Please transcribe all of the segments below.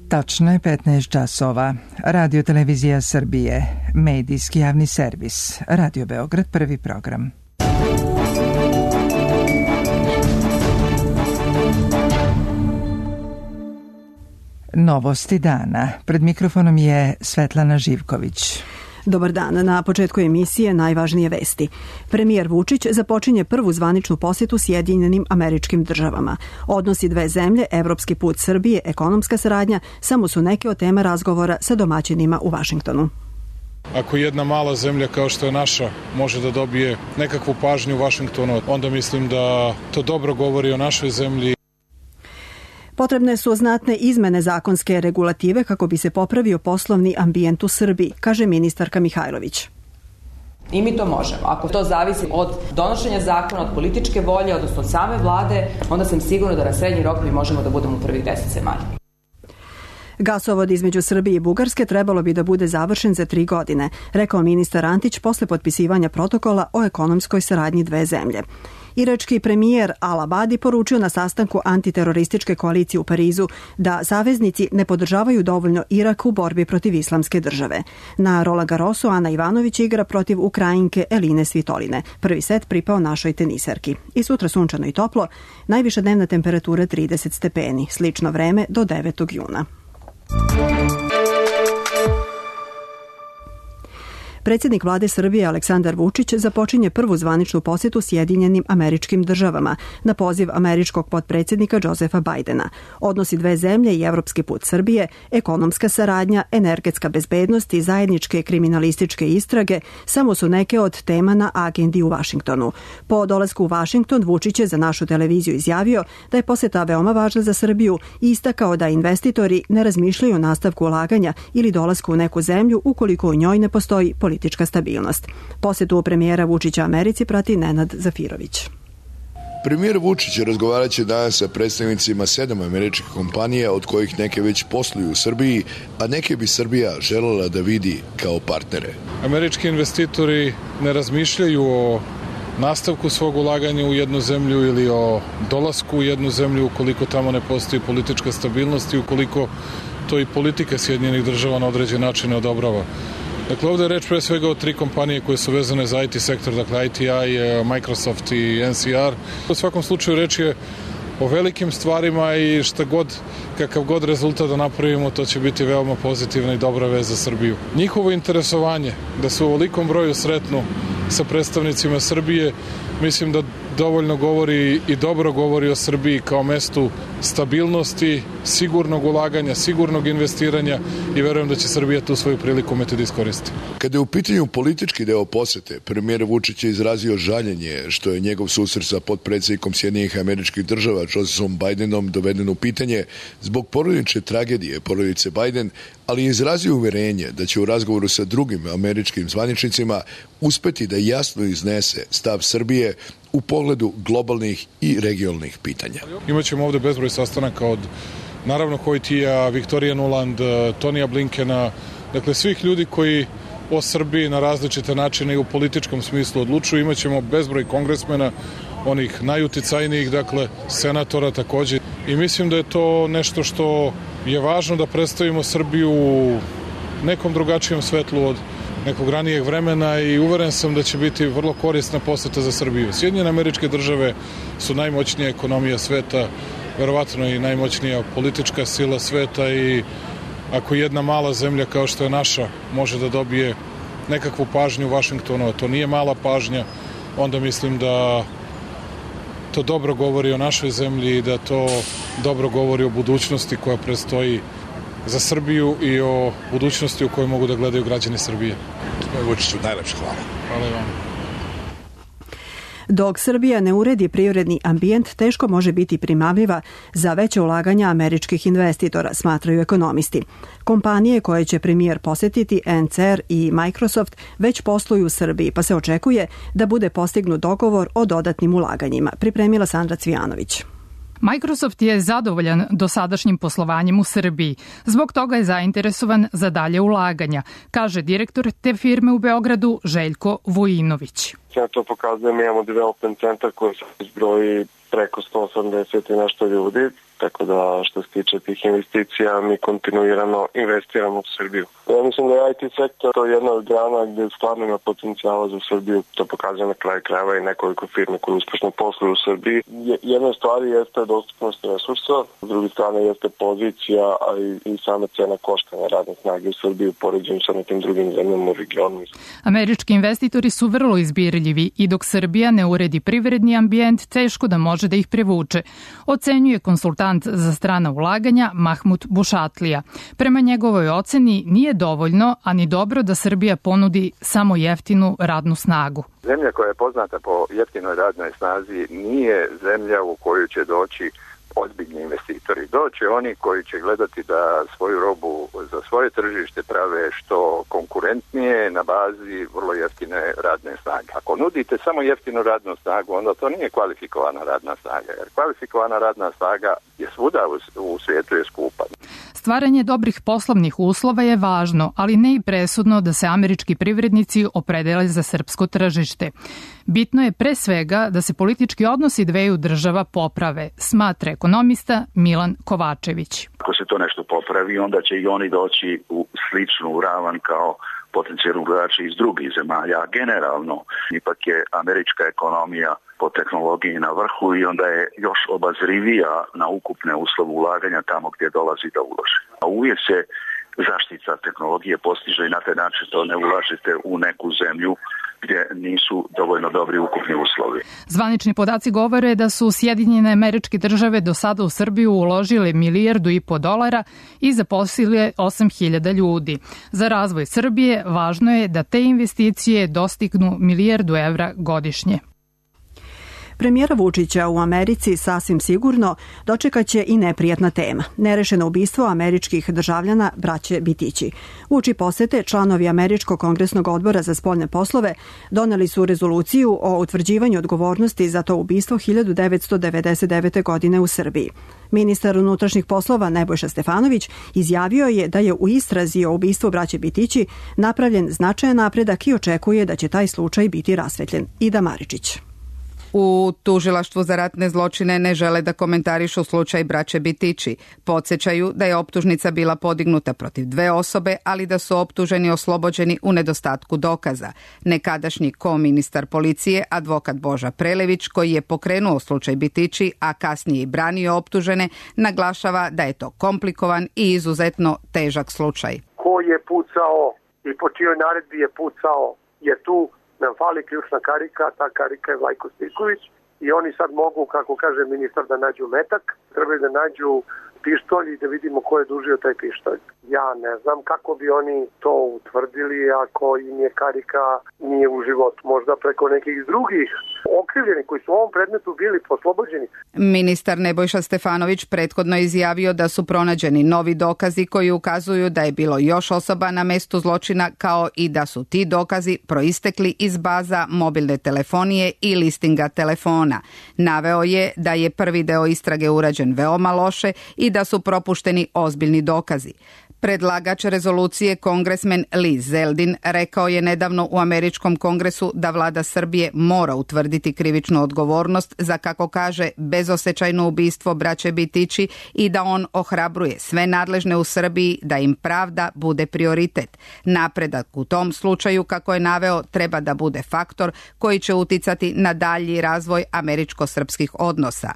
Tačno je 15 časova. Radio Televizija Srbije, medijski javni servis, Radio Beograd, prvi program. Novosti dana. Pred mikrofonom je Svetlana Živković. Dobar dan. Na početku emisije najvažnije vesti. Premijer Vučić započinje prvu zvaničnu posjetu Sjedinjenim Američkim Državama. Odnosi dve zemlje, evropski put Srbije, ekonomska saradnja, samo su neke od tema razgovora sa domaćinima u Vašingtonu. Ako jedna mala zemlja kao što je naša može da dobije nekakvu pažnju u Vašingtonu, onda mislim da to dobro govori o našoj zemlji. Potrebne su znatne izmene zakonske regulative kako bi se popravio poslovni ambijent u Srbiji, kaže ministarka Mihajlović. I mi to možemo. Ako to zavisi od donošenja zakona, od političke volje, odnosno od same vlade, onda sam sigurna da na srednji rok mi možemo da budemo u prvih 10 zemalja. Gasovod između Srbije i Bugarske trebalo bi da bude završen za 3 godine, rekao ministar Antić posle potpisivanja protokola o ekonomskoj saradnji dve zemlje. Irački premijer Al-Abadi poručio na sastanku antiterorističke koalicije u Parizu da saveznici ne podržavaju dovoljno Irak u borbi protiv islamske države. Na Roland Garrosu Ana Ivanović igra protiv Ukrajinke Eline Svitoline. Prvi set pripao našoj teniserki. I sutra sunčano i toplo, najviša dnevna temperatura 30 stepeni, slično vreme do 9. juna. Predsjednik vlade Srbije Aleksandar Vučić započinje prvu zvaničnu posjetu Sjedinjenim Američkim Državama na poziv američkog potpredsjednika Josefa Bajdena. Odnosi dve zemlje i evropski put Srbije, ekonomska saradnja, energetska bezbednost i zajedničke kriminalističke istrage samo su neke od tema na agendi u Vašingtonu. Po dolasku u Vašington Vučić je za našu televiziju izjavio da je posjeta veoma važna za Srbiju i istakao da investitori ne razmišljaju o nastavku ulaganja ili dolasku u neku zemlju ukoliko u njoj ne postoji politička stabilnost. Posjetu premijera Vučića Americi prati Nenad Zafirović. Premijer Vučić razgovarat će danas sa predstavnicima 7 američkih kompanija, od kojih neke već posluju u Srbiji, a neke bi Srbija želela da vidi kao partnere. Američki investitori ne razmišljaju o nastavku svog ulaganja u jednu zemlju ili o dolasku u jednu zemlju ukoliko tamo ne postoji politička stabilnost i ukoliko to i politika Sjedinjenih Država na određen način ne odobrava. Dakle, ovdje je reč pre svega o 3 kompanije koje su vezane za IT sektor, dakle ITI, Microsoft i NCR. U svakom slučaju reč je o velikim stvarima i kakav god rezultat da napravimo, to će biti veoma pozitivna i dobra vez za Srbiju. Njihovo interesovanje da se u ovolikom broju sretnu sa predstavnicima Srbije, mislim da dovoljno govori i dobro govori o Srbiji kao mestu stabilnosti, sigurnog ulaganja, sigurnog investiranja i verujem da će Srbija tu svoju priliku umeti da iskoristi. Kada je u pitanju politički deo posete, premijer Vučić je izrazio žaljenje što je njegov susret sa potpredsjednikom Sjedinjenih Američkih Država Josephom Bajdenom doveden u pitanje zbog porodične tragedije porodice Bajden, ali je izrazio uverenje da će u razgovoru sa drugim američkim zvaničnicima uspeti da jasno iznese stav Srbije u pogledu globalnih i regionalnih pitanja. Imaćemo ovdje bezbroj sastanaka od naravno Hojtija, Viktorija Nuland, Tonija Blinkena, dakle svih ljudi koji o Srbiji na različite načine i u političkom smislu odlučuju. Imaćemo bezbroj kongresmena, onih najuticajnijih, dakle senatora također. I mislim da je to nešto što je važno da predstavimo Srbiju u nekom drugačijem svetlu od nekog ranijeg vremena i uveren sam da će biti vrlo korisna poseta za Srbiju. Sjedinjene Američke Države su najmoćnija ekonomija sveta, verovatno i najmoćnija politička sila sveta i ako jedna mala zemlja kao što je naša može da dobije nekakvu pažnju u Vašingtonu, a to nije mala pažnja, onda mislim da to dobro govori o našoj zemlji i da to dobro govori o budućnosti koja predstoji za Srbiju i o budućnosti u kojoj mogu da gledaju građani Srbije. Gospodine Vučiću, najlepše hvala. Hvala i vam. Dok Srbija ne uredi privredni ambijent, teško može biti primamljiva za veće ulaganja američkih investitora, smatraju ekonomisti. Kompanije koje će premijer posetiti, NCR i Microsoft, već posluju u Srbiji, pa se očekuje da bude postignut dogovor o dodatnim ulaganjima, pripremila Sandra Cvijanović. Microsoft je zadovoljan dosadašnjim poslovanjem u Srbiji. Zbog toga je zainteresovan za dalje ulaganja, kaže direktor te firme u Beogradu Željko Vujinović. Ja to pokazujem, imamo development centar koji se izbroji preko 180 i nešto ljudi. Tako da što se tiče tih investicija mi kontinuirano investiramo u Srbiju. Ja mislim da je IT sektor to je jedna od grana gdje stvarno ima potencijala za Srbiju. To pokazuje na kraju krajeva i nekoliko firme koje uspešno posluju u Srbiji. Jedna stvar jeste dostupnost resursa, s druge strane jeste pozicija, a i sama cena koštanja radne snage u Srbiji u poređenju sa nekim drugim zemljama u regionu. Američki investitori su vrlo izbirljivi i dok Srbija ne uredi privredni ambijent, teško da može da ih privuče, ocenjuje konsultant za strana ulaganja Mahmud Bušatlija. Prema njegovoj oceni nije dovoljno, a ni dobro da Srbija ponudi samo jeftinu radnu snagu. Zemlja koja je poznata po jeftinoj radnoj snazi nije zemlja u koju će doći ozbiljni investitori. Doće oni koji će gledati da svoju robu za svoje tržište prave što konkurentnije na bazi vrlo jeftine radne snage. Ako nudite samo jeftinu radnu snagu, onda to nije kvalifikovana radna snaga, jer kvalifikovana radna snaga je svuda u svijetu je skupa. Stvaranje dobrih poslovnih uslova je važno, ali ne i presudno da se američki privrednici opredele za srpsko tržište. Bitno je pre svega da se politički odnosi dveju država poprave, smatra ekonomista Milan Kovačević. Ako se to nešto popravi, onda će i oni doći u sličnu ravan kao potencijalni ulagači iz drugih zemalja. Generalno, ipak je američka ekonomija po tehnologiji na vrhu i onda je još obazrivija na ukupne uslove ulaganja tamo gdje dolazi da uloži. A uvijek se zaštita tehnologije postiže i na taj način to ne ulažete u neku zemlju gdje nisu dovoljno dobri ukupni uslovi. Zvanični podaci govore da su Sjedinjene Američke Države do sada u Srbiju uložile $1,5 milijarda i zaposlile 8.000 ljudi. Za razvoj Srbije važno je da te investicije dostignu $1 milijardu godišnje. Premijera Vučića u Americi sasvim sigurno dočekaće i neprijatna tema. Nerešeno ubistvo američkih državljana braće Bitići. Uoči posete članovi Američkog kongresnog odbora za spoljne poslove doneli su rezoluciju o utvrđivanju odgovornosti za to ubistvo 1999. godine u Srbiji. Ministar unutrašnjih poslova Nebojša Stefanović izjavio je da je u istrazi o ubistvu braće Bitići napravljen značajan napredak i očekuje da će taj slučaj biti rasvetljen. Ida Maričić. U Tužilaštvu za ratne zločine ne žele da komentarišu slučaj braće Bitići. Podsećaju da je optužnica bila podignuta protiv 2 osobe, ali da su optuženi oslobođeni u nedostatku dokaza. Nekadašnji ko-ministar policije, advokat Boža Prelević, koji je pokrenuo slučaj Bitići, a kasnije i branio optužene, naglašava da je to komplikovan i izuzetno težak slučaj. Ko je pucao i po čijoj naredbi je pucao je tu. Nam fali ključna karika, ta karika je Vlajko Stojković i oni sad mogu, kako kaže ministar, da nađu metak, trebaju da nađu pištolj i da vidimo ko je dužio taj pištolj. Ja ne znam kako bi oni to utvrdili ako im je karika nije u životu, možda preko nekih drugih okrivljeni koji su u ovom predmetu bili oslobođeni. Ministar Nebojša Stefanović prethodno izjavio da su pronađeni novi dokazi koji ukazuju da je bilo još osoba na mestu zločina, kao i da su ti dokazi proistekli iz baza mobilne telefonije i listinga telefona. Naveo je da je prvi deo istrage urađen veoma loše i da su propušteni ozbiljni dokazi. Predlagač rezolucije kongresmen Lee Zeldin rekao je nedavno u Američkom kongresu da vlada Srbije mora utvrditi krivičnu odgovornost za, kako kaže, bezosjećajno ubistvo braće Bitići i da on ohrabruje sve nadležne u Srbiji da im pravda bude prioritet. Napredak u tom slučaju, kako je naveo, treba da bude faktor koji će uticati na dalji razvoj američko-srpskih odnosa.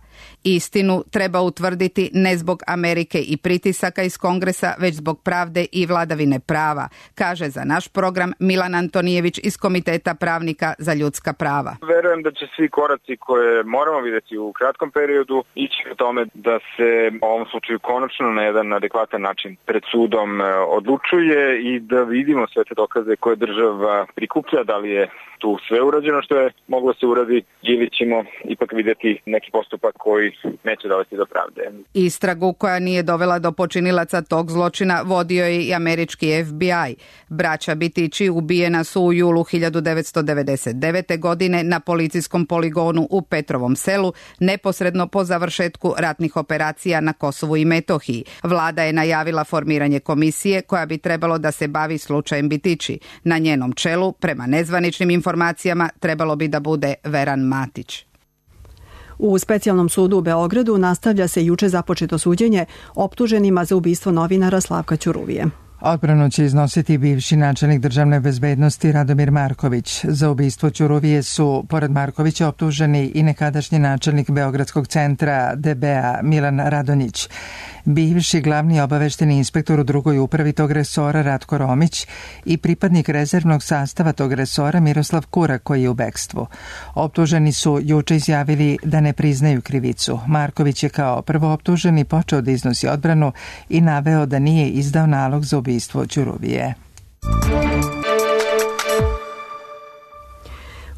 Istinu treba utvrditi ne zbog Amerike i pritisaka iz kongresa, već zbog pravde i vladavine prava, kaže za naš program Milan Antonijević iz Komiteta pravnika za ljudska prava. Verujem da će svi koraci koje moramo vidjeti u kratkom periodu ići o tome da se u ovom slučaju konačno na jedan adekvatan način pred sudom odlučuje i da vidimo sve te dokaze koje država prikuplja, da li je tu sve urađeno što je moglo se uradi ili ćemo ipak vidjeti neki postupak koji neće dovesti do pravde. Istragu koja nije dovela do počinilaca tog zločina vodio je i američki FBI. Braća Bitići ubijena su u julu 1999. godine na policijskom poligonu u Petrovom selu, neposredno po završetku ratnih operacija na Kosovu i Metohiji. Vlada je najavila formiranje komisije koja bi trebalo da se bavi slučajem Bitići. Na njenom čelu, prema nezvaničnim informacijama, trebalo bi da bude Veran Matić. U specijalnom sudu u Beogradu nastavlja se juče započeto suđenje optuženima za ubistvo novinara Slavka Ćuruvije. Odbranu će iznositi bivši načelnik državne bezbednosti Radomir Marković. Za ubistvo Ćuruvije su, pored Markovića, optuženi i nekadašnji načelnik Beogradskog centra DB-a Milan Radonjić, bivši glavni obavešteni inspektor u drugoj upravi tog resora Ratko Romić i pripadnik rezervnog sastava tog resora Miroslav Kura, koji je u bekstvu. Optuženi su juče izjavili da ne priznaju krivicu. Marković je kao prvooptuženi počeo da iznosi odbranu i naveo da nije izdao nalog za ubistvo Ćuruvije.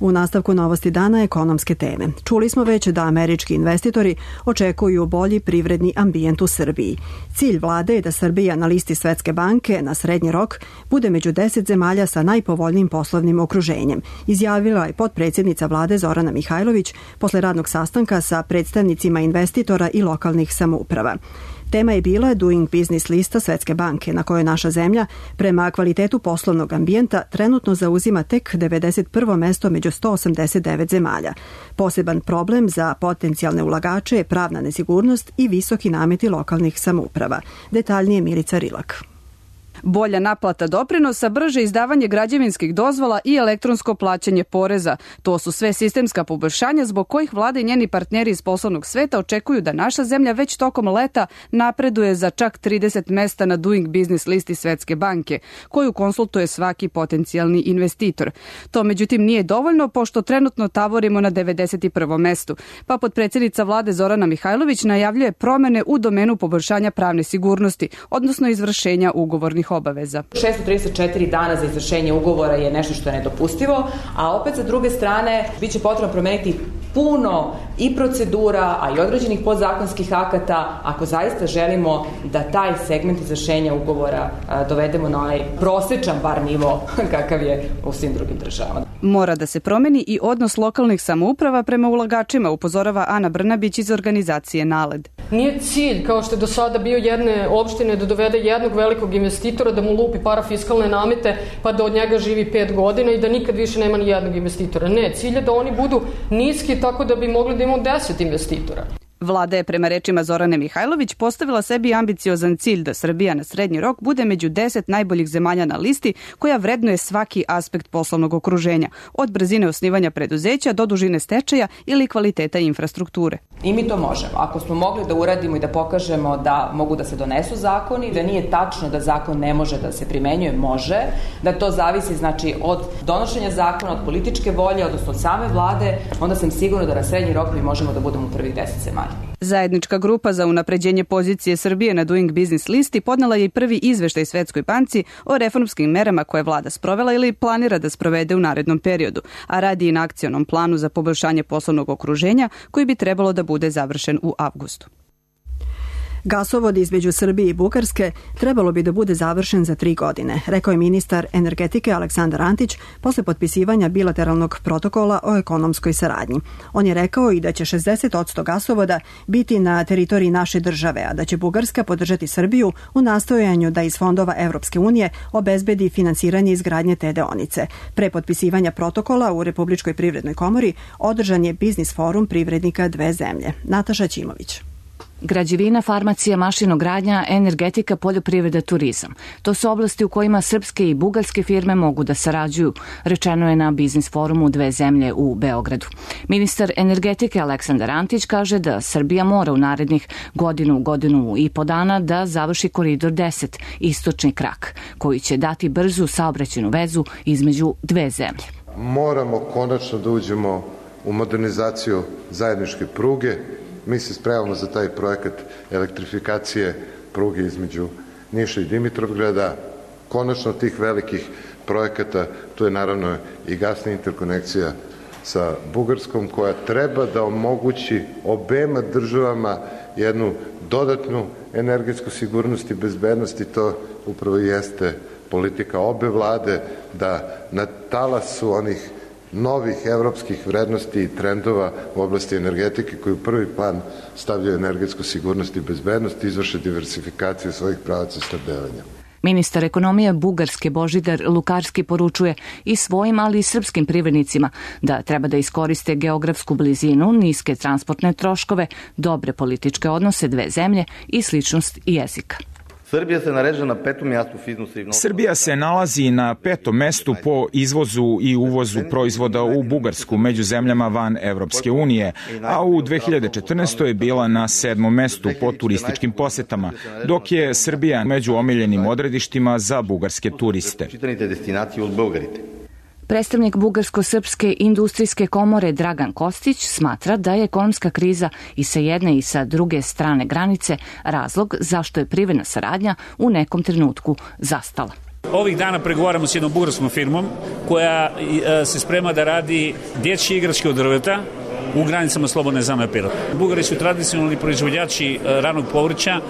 U nastavku novosti dana ekonomske teme. Čuli smo već da američki investitori očekuju bolji privredni ambijent u Srbiji. Cilj vlade je da Srbija na listi Svetske banke na srednji rok bude među 10 zemalja sa najpovoljnijim poslovnim okruženjem, izjavila je potpredsjednica vlade Zorana Mihajlović posle radnog sastanka sa predstavnicima investitora i lokalnih samouprava. Tema je bila Doing Business lista Svetske banke, na kojoj naša zemlja prema kvalitetu poslovnog ambijenta trenutno zauzima tek 91. mesto među 189 zemalja. Poseban problem za potencijalne ulagače je pravna nesigurnost i visoki nameti lokalnih samouprava. Detaljnije Milica Rilak. Bolja naplata doprinosa, brže izdavanje građevinskih dozvola i elektronsko plaćanje poreza. To su sve sistemska poboljšanja zbog kojih vlada i njeni partneri iz poslovnog sveta očekuju da naša zemlja već tokom leta napreduje za čak 30 mesta na Doing Business listi Svetske banke, koju konsultuje svaki potencijalni investitor. To međutim nije dovoljno, pošto trenutno tavorimo na 91. mestu, pa potpredsjednica vlade Zorana Mihajlović najavljuje promene u domenu poboljšanja pravne sigurnosti, odnosno izvršenja ugovornih obaveza. 634 dana za izvršenje ugovora je nešto što je nedopustivo, a opet sa druge strane biće potrebno promeniti puno i procedura, a i određenih podzakonskih akata ako zaista želimo da taj segment izvršenja ugovora dovedemo na onaj prosečan bar nivo kakav je u svim drugim državama. Mora da se promeni i odnos lokalnih samouprava prema ulagačima, upozorava Ana Brnabić iz organizacije NALED. Nije cilj, kao što je do sada bio jedne opštine, da dovede jednog velikog investitora, da mu lupi parafiskalne namete, pa da od njega živi 5 godina i da nikad više nema ni jednog investitora. Ne, cilj je da oni budu niski tako da bi mogli da imamo 10 investitora. Vlada je prema rečima Zorane Mihajlović postavila sebi ambiciozan cilj da Srbija na srednji rok bude među 10 najboljih zemalja na listi koja vrednuje svaki aspekt poslovnog okruženja, od brzine osnivanja preduzeća do dužine stečaja ili kvaliteta infrastrukture. I mi to možemo. Ako smo mogli da uradimo i da pokažemo da mogu da se donesu zakoni, da nije tačno da zakon ne može da se primenjuje, može, da to zavisi znači od donošenja zakona, od političke volje, odnosno od same vlade, onda sam sigurna da na srednji rok mi možemo da budemo u prvih 10 zemalja. Zajednička grupa za unapređenje pozicije Srbije na Doing Business listi podnela je i prvi izveštaj Svetskoj banci o reformskim merama koje vlada sprovela ili planira da sprovede u narednom periodu, a radi i na akcionom planu za poboljšanje poslovnog okruženja koji bi trebalo da bude završen u avgustu. Gasovod između Srbije i Bugarske trebalo bi da bude završen za 3 godine, rekao je ministar energetike Aleksandar Antić posle potpisivanja bilateralnog protokola o ekonomskoj saradnji. On je rekao i da će 60% gasovoda biti na teritoriji naše države, a da će Bugarska podržati Srbiju u nastojanju da iz fondova Evropske unije obezbedi finansiranje izgradnje te deonice. Pre potpisivanja protokola u Republičkoj privrednoj komori održan je biznis forum privrednika dve zemlje. Nataša Ćimović. Građevina, farmacija, mašinogradnja, energetika, poljoprivreda, turizam. To su oblasti u kojima srpske i bugarske firme mogu da sarađuju, rečeno je na biznis forumu dve zemlje u Beogradu. Ministar energetike Aleksandar Antić kaže da Srbija mora u narednih godinu i po dana da završi koridor 10, istočni krak, koji će dati brzu saobraćajnu vezu između dve zemlje. Moramo konačno da uđemo u modernizaciju zajedničke pruge. Mi se spremamo za taj projekat elektrifikacije pruge između Niša i Dimitrovgrada. Konačno tih velikih projekata, tu je naravno i gasna interkonekcija sa Bugarskom koja treba da omogući obema državama jednu dodatnu energetsku sigurnost i bezbednost i to upravo jeste politika obe vlade da na talasu onih novih evropskih vrednosti i trendova u oblasti energetike koji u prvi plan stavljaju energetsku sigurnost i bezbednost i izvrše diversifikaciju svojih pravaca snabdevanja. Ministar ekonomije Bugarske Božidar Lukarski poručuje i svojim, ali i srpskim privrednicima da treba da iskoriste geografsku blizinu, niske transportne troškove, dobre političke odnose dve zemlje i sličnost jezika. Srbija se nalazi na 5. mestu po izvozu i uvozu proizvoda u Bugarsku među zemljama van Evropske unije, a u 2014. je bila na 7. mestu po turističkim posetama, dok je Srbija među omiljenim odredištima za bugarske turiste. Predstavnik Bugarsko-srpske industrijske komore Dragan Kostić smatra da je ekonomska kriza i sa jedne i sa druge strane granice razlog zašto je privredna saradnja u nekom trenutku zastala. Ovih dana pregovaramo s jednom bugarskom firmom koja se sprema da radi dječje igračke od drveta u granicama slobodne zone Pirot. Bugari su tradicionalni proizvođači ranog povrća.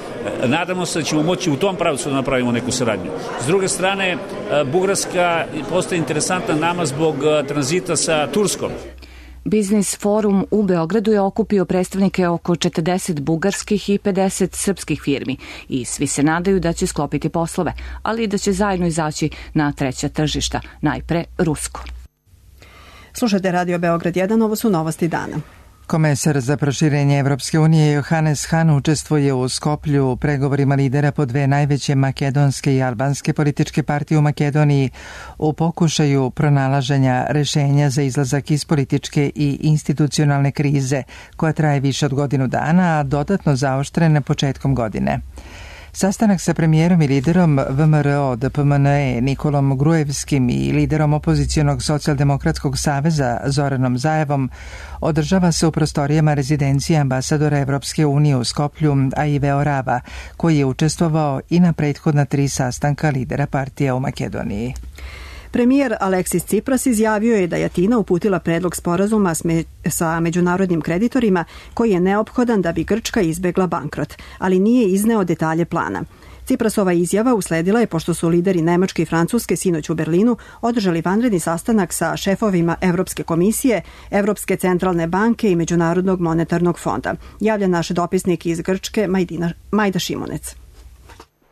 Nadamo se da ćemo moći u tom pravcu da napravimo neku saradnju. S druge strane, Bugarska postaje interesantna nama zbog tranzita sa Turskom. Biznis forum u Beogradu je okupio predstavnike oko 40 bugarskih i 50 srpskih firmi i svi se nadaju da će sklopiti poslove, ali i da će zajedno izaći na treća tržišta, najpre rusko. Slušajte Radio Beograd 1, ovo su novosti dana. Komesar za proširenje Evropske unije Johannes Hahn učestvuje u Skoplju u pregovorima lidera po dve najveće makedonske i albanske političke partije u Makedoniji u pokušaju pronalaženja rešenja za izlazak iz političke i institucionalne krize koja traje više od godinu dana, a dodatno zaoštrena početkom godine. Sastanak sa premijerom i liderom VMRO DPMNE Nikolom Grujevskim i liderom opozicionog socijaldemokratskog saveza Zoranom Zajevom održava se u prostorijama rezidencije ambasadora Evropske unije u Skoplju Aive Orava, koji je učestvovao i na prethodna 3 sastanka lidera partija u Makedoniji. Premijer Aleksis Cipras izjavio je da je Atina uputila predlog sporazuma sa međunarodnim kreditorima koji je neophodan da bi Grčka izbegla bankrot, ali nije izneo detalje plana. Ciprasova izjava usledila je pošto su lideri Nemačke i Francuske sinoć u Berlinu održali vanredni sastanak sa šefovima Evropske komisije, Evropske centralne banke i Međunarodnog monetarnog fonda. Javlja naš dopisnik iz Grčke Majda Šimunec.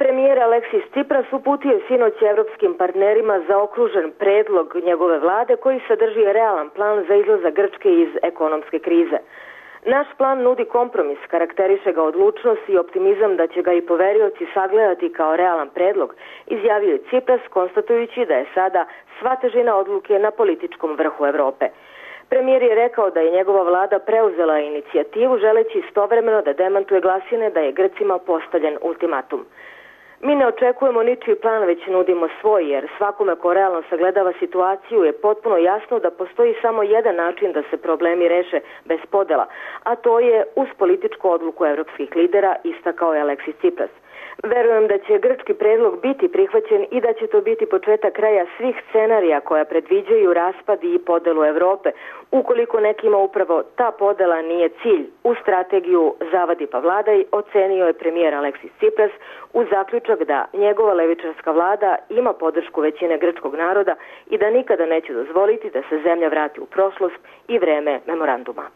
Premijer Aleksis Cipras uputio je sinoć evropskim partnerima zaokružen predlog njegove vlade koji sadrži realan plan za izlazak Grčke iz ekonomske krize. Naš plan nudi kompromis, karakteriše ga odlučnost i optimizam da će ga i poverioci sagledati kao realan predlog, izjavio je Cipras konstatujući da je sada sva težina odluke na političkom vrhu Evrope. Premijer je rekao da je njegova vlada preuzela inicijativu želeći istovremeno da demantuje glasine da je Grcima postavljen ultimatum. Mi ne očekujemo ničiji plan, već nudimo svoj, jer svakome ko realno sagledava situaciju je potpuno jasno da postoji samo jedan način da se problemi reše bez podela, a to je uz političku odluku evropskih lidera, istakao je Aleksis Cipras. Verujem da će grčki predlog biti prihvaćen i da će to biti početak kraja svih scenarija koja predviđaju raspad i podelu Evrope, ukoliko nekima upravo ta podela nije cilj. U strategiju zavadi pa vladaj ocenio je premijer Aleksis Cipras uz zaključak da njegova levičarska vlada ima podršku većine grčkog naroda i da nikada neće dozvoliti da se zemlja vrati u prošlost i vreme memoranduma.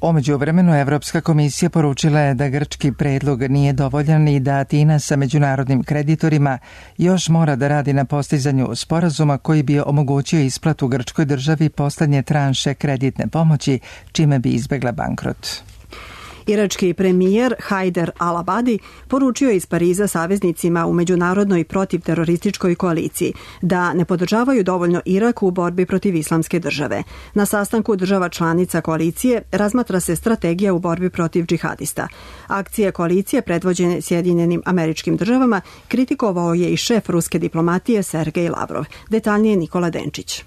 U međuvremenu Evropska komisija poručila je da grčki predlog nije dovoljan i da Atina sa međunarodnim kreditorima još mora da radi na postizanju sporazuma koji bi omogućio isplatu grčkoj državi poslednje tranše kreditne pomoći, čime bi izbegla bankrot. Irački premijer Hajder al-Abadi poručio je iz Pariza saveznicima u međunarodnoj protivterorističkoj koaliciji da ne podržavaju dovoljno Irak u borbi protiv islamske države. Na sastanku država članica koalicije razmatra se strategija u borbi protiv džihadista. Akcije koalicije predvođene Sjedinjenim Američkim Državama kritikovao je i šef ruske diplomatije Sergej Lavrov. Detaljnije Nikola Denčić.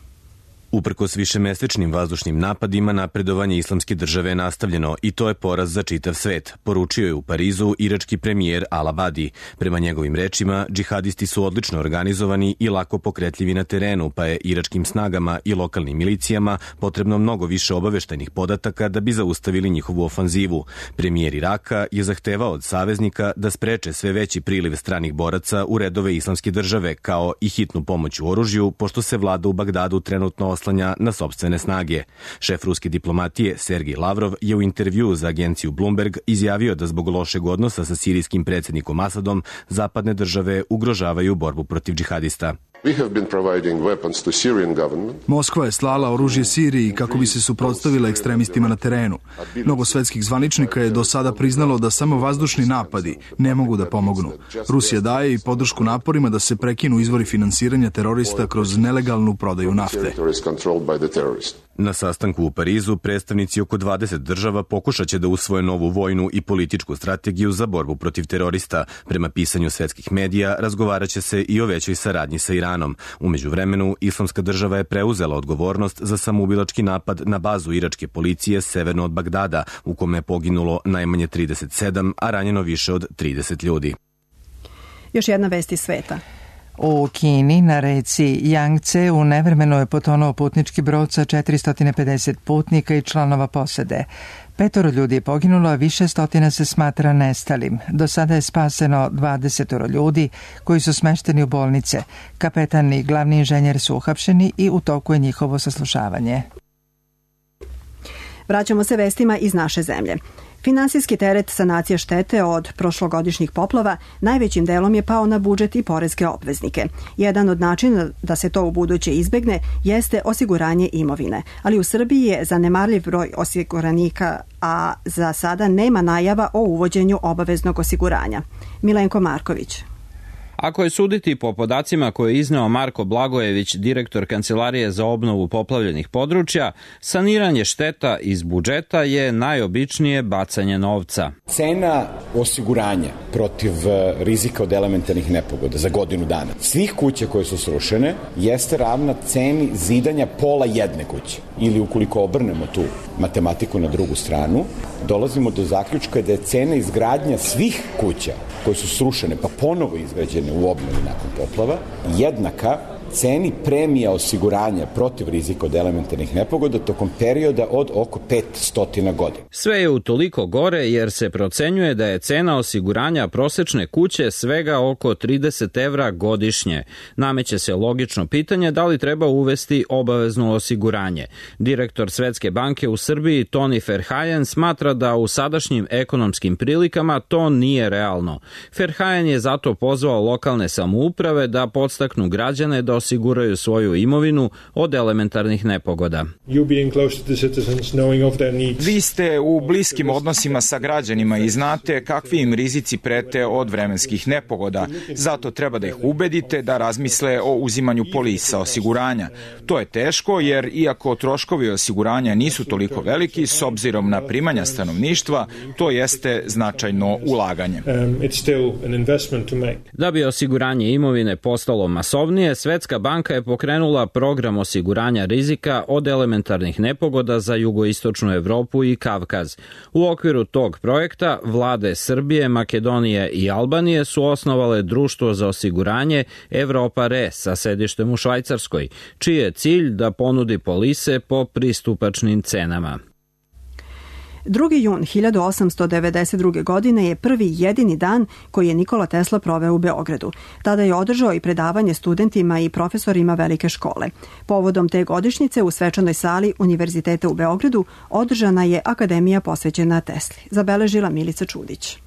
Uprkos višemesečnim vazdušnim napadima, napredovanje islamske države je nastavljeno i to je poraz za čitav svet, poručio je u Parizu irački premijer al-Abadi. Prema njegovim rečima, džihadisti su odlično organizovani i lako pokretljivi na terenu, pa je iračkim snagama i lokalnim milicijama potrebno mnogo više obaveštajnih podataka da bi zaustavili njihovu ofanzivu. Premijer Iraka je zahtevao od saveznika da spreče sve veći priliv stranih boraca u redove islamske države, kao i hitnu pomoć u oružju, pošto se vlada u Bagdadu trenutno oslanja na sopstvene snage. Šef ruske diplomatije Sergej Lavrov je u intervjuu za agenciju Bloomberg izjavio da zbog lošeg odnosa sa sirijskim predsjednikom Asadom zapadne države ugrožavaju borbu protiv džihadista. Moskva je slala oružje Siriji kako bi se suprotstavila ekstremistima na terenu. Mnogo svetskih zvaničnika je do sada priznalo da samo vazdušni napadi ne mogu da pomognu. Rusija daje i podršku naporima da se prekinu izvori finansiranja terorista kroz nelegalnu prodaju nafte. Na sastanku u Parizu predstavnici oko 20 država pokušaće da usvoje novu vojnu i političku strategiju za borbu protiv terorista. Prema pisanju svetskih medija razgovaraće se i o većoj saradnji sa Iranom. U međuvremenu, Islamska država je preuzela odgovornost za samoubilački napad na bazu iračke policije severno od Bagdada, u kome je poginulo najmanje 37, a ranjeno više od 30 ljudi. Još jedna vest iz sveta. U Kini na reci Jangce u nevremenu je potonuo putnički brod sa 450 putnika i članova posade. 5 ljudi je poginulo, a više stotina se smatra nestalim. Do sada je spaseno 20 ljudi koji su smešteni u bolnice. Kapetan i glavni inženjer su uhapšeni i u toku je njihovo saslušavanje. Vraćamo se vestima iz naše zemlje. Finansijski teret sanacije štete od prošlogodišnjih poplava najvećim delom je pao na budžet i poreske obveznike. Jedan od načina da se to u buduće izbegne jeste osiguranje imovine, ali u Srbiji je zanemarljiv broj osiguranika, a za sada nema najava o uvođenju obaveznog osiguranja. Milenko Marković. Ako je suditi po podacima koje je izneo Marko Blagojević, direktor Kancelarije za obnovu poplavljenih područja, saniranje šteta iz budžeta je najobičnije bacanje novca. Cena osiguranja protiv rizika od elementarnih nepogoda za godinu dana svih kuća koje su srušene jeste ravna ceni zidanja pola jedne kuće. Ili ukoliko obrnemo tu matematiku na drugu stranu, dolazimo do zaključka da je cena izgradnja svih kuća koje su srušene pa ponovo izgrađene u obnovi nakon poplava jednaka ceni premija osiguranja protiv rizika od elementarnih nepogoda tokom perioda od oko 500 godina. Sve je utoliko gore jer se procenjuje da je cena osiguranja prosečne kuće svega oko 30 evra godišnje. Nameće se logično pitanje da li treba uvesti obavezno osiguranje. Direktor Svetske banke u Srbiji Toni Verheyen smatra da u sadašnjim ekonomskim prilikama to nije realno. Verheyen je zato pozvao lokalne samouprave da podstaknu građane da osiguraju svoju imovinu od elementarnih nepogoda. Vi ste u bliskim odnosima sa građanima i znate kakvi im rizici prete od vremenskih nepogoda. Zato treba da ih ubedite da razmisle o uzimanju polisa osiguranja. To je teško jer iako troškovi osiguranja nisu toliko veliki, s obzirom na primanja stanovništva, to jeste značajno ulaganje. Da bi osiguranje imovine postalo masovnije, Svetska banka je pokrenula program osiguranja rizika od elementarnih nepogoda za jugoistočnu Evropu i Kavkaz. U okviru tog projekta vlade Srbije, Makedonije i Albanije su osnovale društvo za osiguranje Evropa Re sa sedištem u Švajcarskoj, čiji je cilj da ponudi polise po pristupačnim cenama. 2. jun 1892. godine je prvi jedini dan koji je Nikola Tesla proveo u Beogradu. Tada je održao i predavanje studentima i profesorima velike škole. Povodom te godišnjice u svečanoj sali Univerziteta u Beogradu održana je akademija posvećena Tesli. Zabeležila Milica Čudić.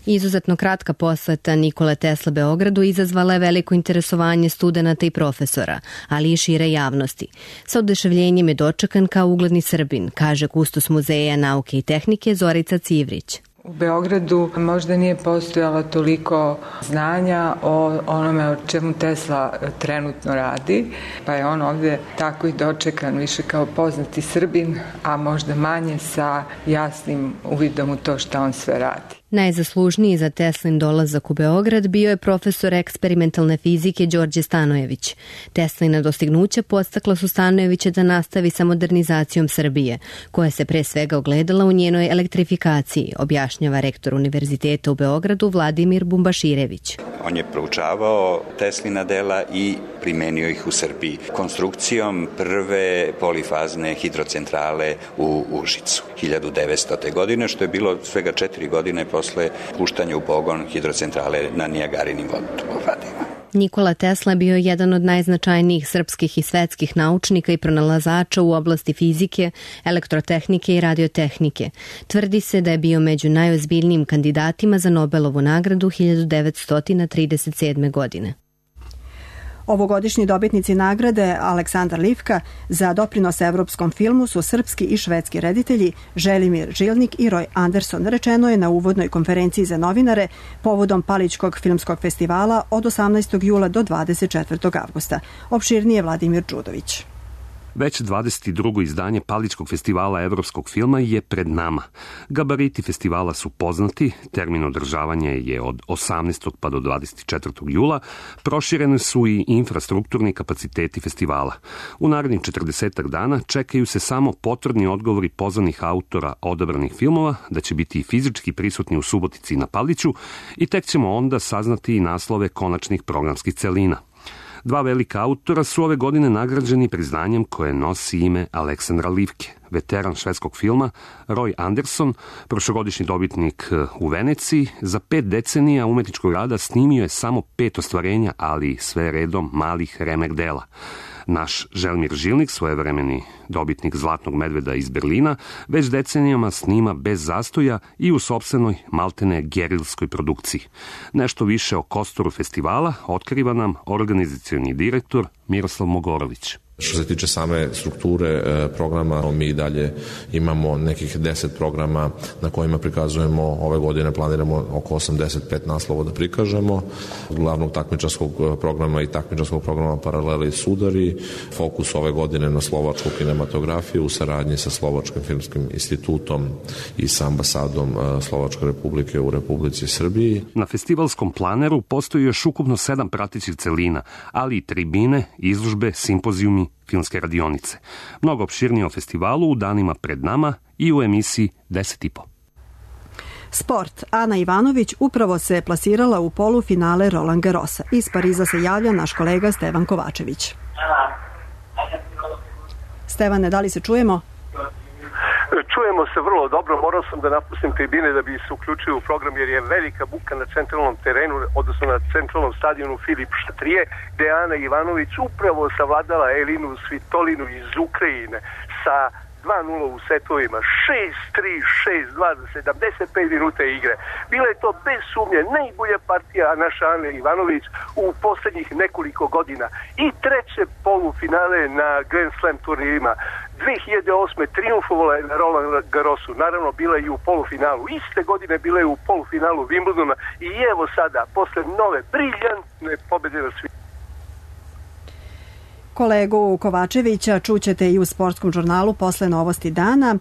Izuzetno kratka poseta Nikole Tesla Beogradu izazvala je veliko interesovanje studenata i profesora, ali i šire javnosti. Sa oduševljenjem je dočekan kao ugledni Srbin, kaže kustos Muzeja nauke i tehnike Zorica Civrić. U Beogradu možda nije postojalo toliko znanja o onome o čemu Tesla trenutno radi, pa je on ovdje tako i dočekan više kao poznati Srbin, a možda manje sa jasnim uvidom u to šta on sve radi. Najzaslužniji za Teslin dolazak u Beograd bio je profesor eksperimentalne fizike Đorđe Stanojević. Teslina dostignuća podstakla su Stanojevića da nastavi sa modernizacijom Srbije, koja se pre svega ogledala u njenoj elektrifikaciji, objašnjava rektor Univerziteta u Beogradu Vladimir Bumbaširević. On je proučavao Teslina dela i primenio ih u Srbiji konstrukcijom prve polifazne hidrocentrale u Užicu 1900. godine, što je bilo svega 4 godine posle puštanja u pogon hidrocentrale na Nijagarinim vodopradima. Nikola Tesla bio je jedan od najznačajnijih srpskih i svetskih naučnika i pronalazača u oblasti fizike, elektrotehnike i radiotehnike. Tvrdi se da je bio među najozbiljnijim kandidatima za Nobelovu nagradu 1937. godine. Ovogodišnji dobitnici nagrade Aleksandar Livka za doprinos evropskom filmu su srpski i švedski reditelji Želimir Žilnik i Roy Anderson, rečeno je na uvodnoj konferenciji za novinare povodom Palićkog filmskog festivala od 18. jula do 24. avgusta. Opširnije Vladimir Đudović. Već 22. izdanje Palićkog festivala evropskog filma je pred nama. Gabariti festivala su poznati, termin održavanja je od 18. pa do 24. jula, proširene su i infrastrukturni kapaciteti festivala. U narednih 40 dana čekaju se samo potvrdni odgovori pozvanih autora odabranih filmova, da će biti fizički prisutni u Subotici na Paliću i tek ćemo onda saznati i naslove konačnih programskih celina. Dva velika autora su ove godine nagrađeni priznanjem koje nosi ime Aleksandra Livke. Veteran švedskog filma Roy Anderson, prošlogodišnji dobitnik u Veneciji, za 5 decenija umetničkog rada snimio je samo 5 ostvarenja, ali sve redom malih remek dela. Naš Želimir Žilnik, svojevremeni dobitnik Zlatnog medveda iz Berlina, već decenijama snima bez zastoja i u sopstvenoj maltene gerilskoj produkciji. Nešto više o kostoru festivala otkriva nam organizacioni direktor Miroslav Mogorović. Što se tiče same strukture programa, mi dalje imamo nekih 10 programa na kojima prikazujemo, ove godine planiramo oko 85 naslova da prikažemo, glavnog takmičarskog programa i takmičarskog programa Paralele i sudari, fokus ove godine na slovačku kinematografiju u saradnji sa Slovačkim filmskim institutom i sa ambasadom Slovačke republike u Republici Srbiji. Na festivalskom planeru postoji još ukupno 7 pratećih celina, ali i tribine, izložbe, simpozijumi, filmske radionice. Mnogo opširnije o festivalu u danima pred nama i u emisiji 10,5. Sport. Ana Ivanović upravo se plasirala u polufinale Roland Garrosa. Iz Pariza se javlja naš kolega Stevan Kovačević. Stevane, da li se čujemo? Čujemo se vrlo dobro, morao sam da napustim tribine da bi se uključio u program jer je velika buka na centralnom terenu, odnosno na centralnom stadionu Filip Šatrije, gde je Ana Ivanović upravo savladala Elinu Svitolinu iz Ukrajine sa 2-0 u setovima, 6-3, 6-2 za 75 minuta igre. Bila je to bez sumnje najbolja partija naša Ana Ivanović u poslednjih nekoliko godina i treće polufinale na Grand Slam turnirima. 2008. triumfovala je na Roland Garrosu, naravno bila je i u polufinalu. Iste godine bila je u polufinalu Wimbledona i evo sada, posle nove briljantne pobede na svijetu. Kolegu Kovačevića čućete i u sportskom žurnalu posle novosti dana,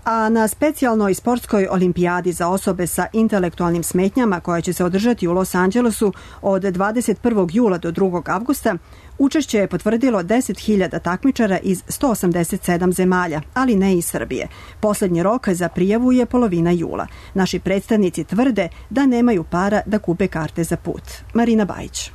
a na specijalnoj sportskoj olimpijadi za osobe sa intelektualnim smetnjama koja će se održati u Los Angelesu od 21. jula do 2. avgusta, učešće je potvrdilo 10.000 takmičara iz 187 zemalja, ali ne i Srbije. Poslednji rok za prijavu je polovina jula. Naši predstavnici tvrde da nemaju para da kupe karte za put. Marina Bajić.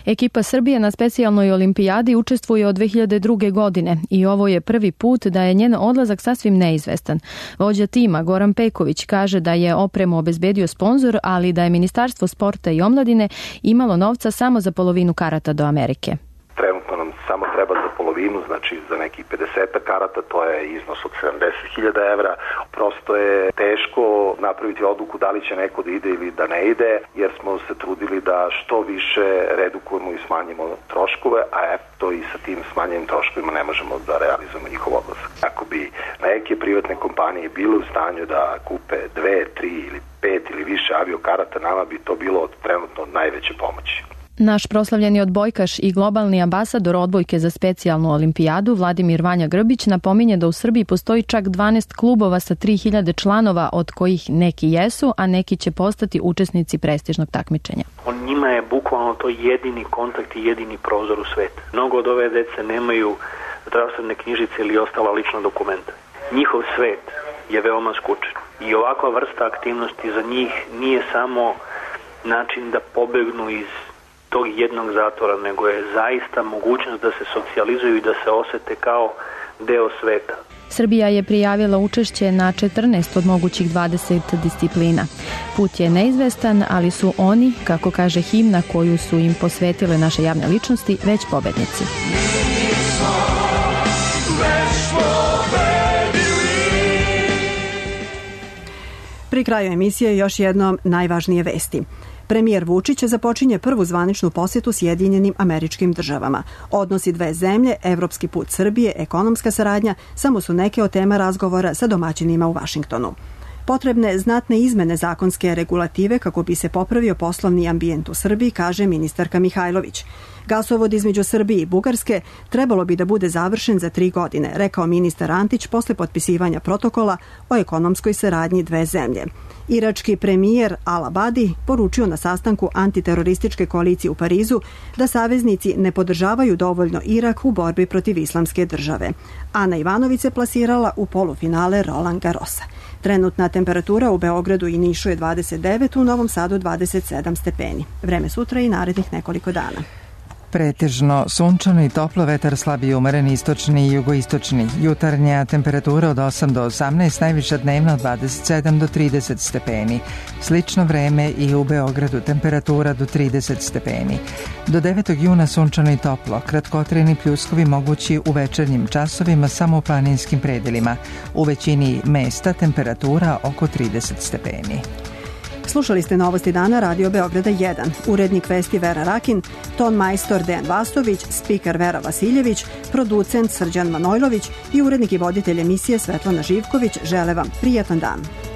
Ekipa Srbije na specijalnoj olimpijadi učestvuje od 2002. godine i ovo je prvi put da je njen odlazak sasvim neizvestan. Vođa tima Goran Peković kaže da je opremu obezbedio sponzor, ali da je Ministarstvo sporta i omladine imalo novca samo za polovinu karata do Amerike. Trenutno nam samo treba za polovinu, znači za nekih 50 karata, to je iznos od 70.000 evra. Prosto je teško napraviti odluku da li će neko da ide ili da ne ide, jer smo se trudili da što više redukujemo i smanjimo troškove, a eto i sa tim smanjenim troškovima ne možemo da realizujemo njihov odlazak. Ako bi neke privatne kompanije bile u stanju da kupe 2, 3 ili 5 ili više aviokarata, nama bi to bilo trenutno najveće pomoći. Naš proslavljeni odbojkaš i globalni ambasador odbojke za specijalnu olimpijadu Vladimir Vanja Grbić napominje da u Srbiji postoji čak 12 klubova sa 3.000 članova, od kojih neki jesu, a neki će postati učesnici prestižnog takmičenja. Njima je bukvalno to jedini kontakt i jedini prozor u svet. Mnogo od ove dece nemaju zdravstvene knjižice ili ostala lična dokumenta. Njihov svet je veoma skučen i ovakva vrsta aktivnosti za njih nije samo način da pobegnu iz tog jednog zatvora, nego je zaista mogućnost da se socijalizuju i da se osete kao deo sveta. Srbija je prijavila učešće na 14 od mogućih 20 disciplina. Put je neizvestan, ali su oni, kako kaže himna koju su im posvetile naše javne ličnosti, već pobednici. Pri kraju emisije još jednom najvažnije vesti. Premijer Vučić započinje prvu zvaničnu posjetu Sjedinjenim Američkim Državama. Odnosi dve zemlje, evropski put Srbije, ekonomska saradnja, samo su neke od tema razgovora sa domaćinima u Vašingtonu. Potrebne znatne izmene zakonske regulative kako bi se popravio poslovni ambijent u Srbiji, kaže ministarka Mihajlović. Gasovod između Srbije i Bugarske trebalo bi da bude završen za 3 godine, rekao ministar Antić posle potpisivanja protokola o ekonomskoj saradnji dve zemlje. Irački premijer Al-Abadi poručio na sastanku antiterorističke koalicije u Parizu da saveznici ne podržavaju dovoljno Irak u borbi protiv islamske države. Ana Ivanović se plasirala u polufinale Roland Garrosa. Trenutna temperatura u Beogradu i Nišu je 29, u Novom Sadu 27 stepeni. Vreme sutra i narednih nekoliko dana. Pretežno sunčano i toplo, vetar slabiji umeren istočni i jugoistočni. Jutarnja temperatura od 8 do 18, najviša dnevna od 27 do 30 stepeni. Slično vreme i u Beogradu, temperatura do 30 stepeni. Do 9. juna sunčano i toplo, kratkotrajni pljuskovi mogući u večernjim časovima samo u planinskim predelima. U većini mesta temperatura oko 30 stepeni. Slušali ste Novosti dana Radio Beograda 1. Urednik vesti Vera Rakin, ton majstor Dejan Vastović, spiker Vera Vasiljević, producent Srđan Manojlović i urednik i voditelj emisije Svetlana Živković žele vam prijatan dan.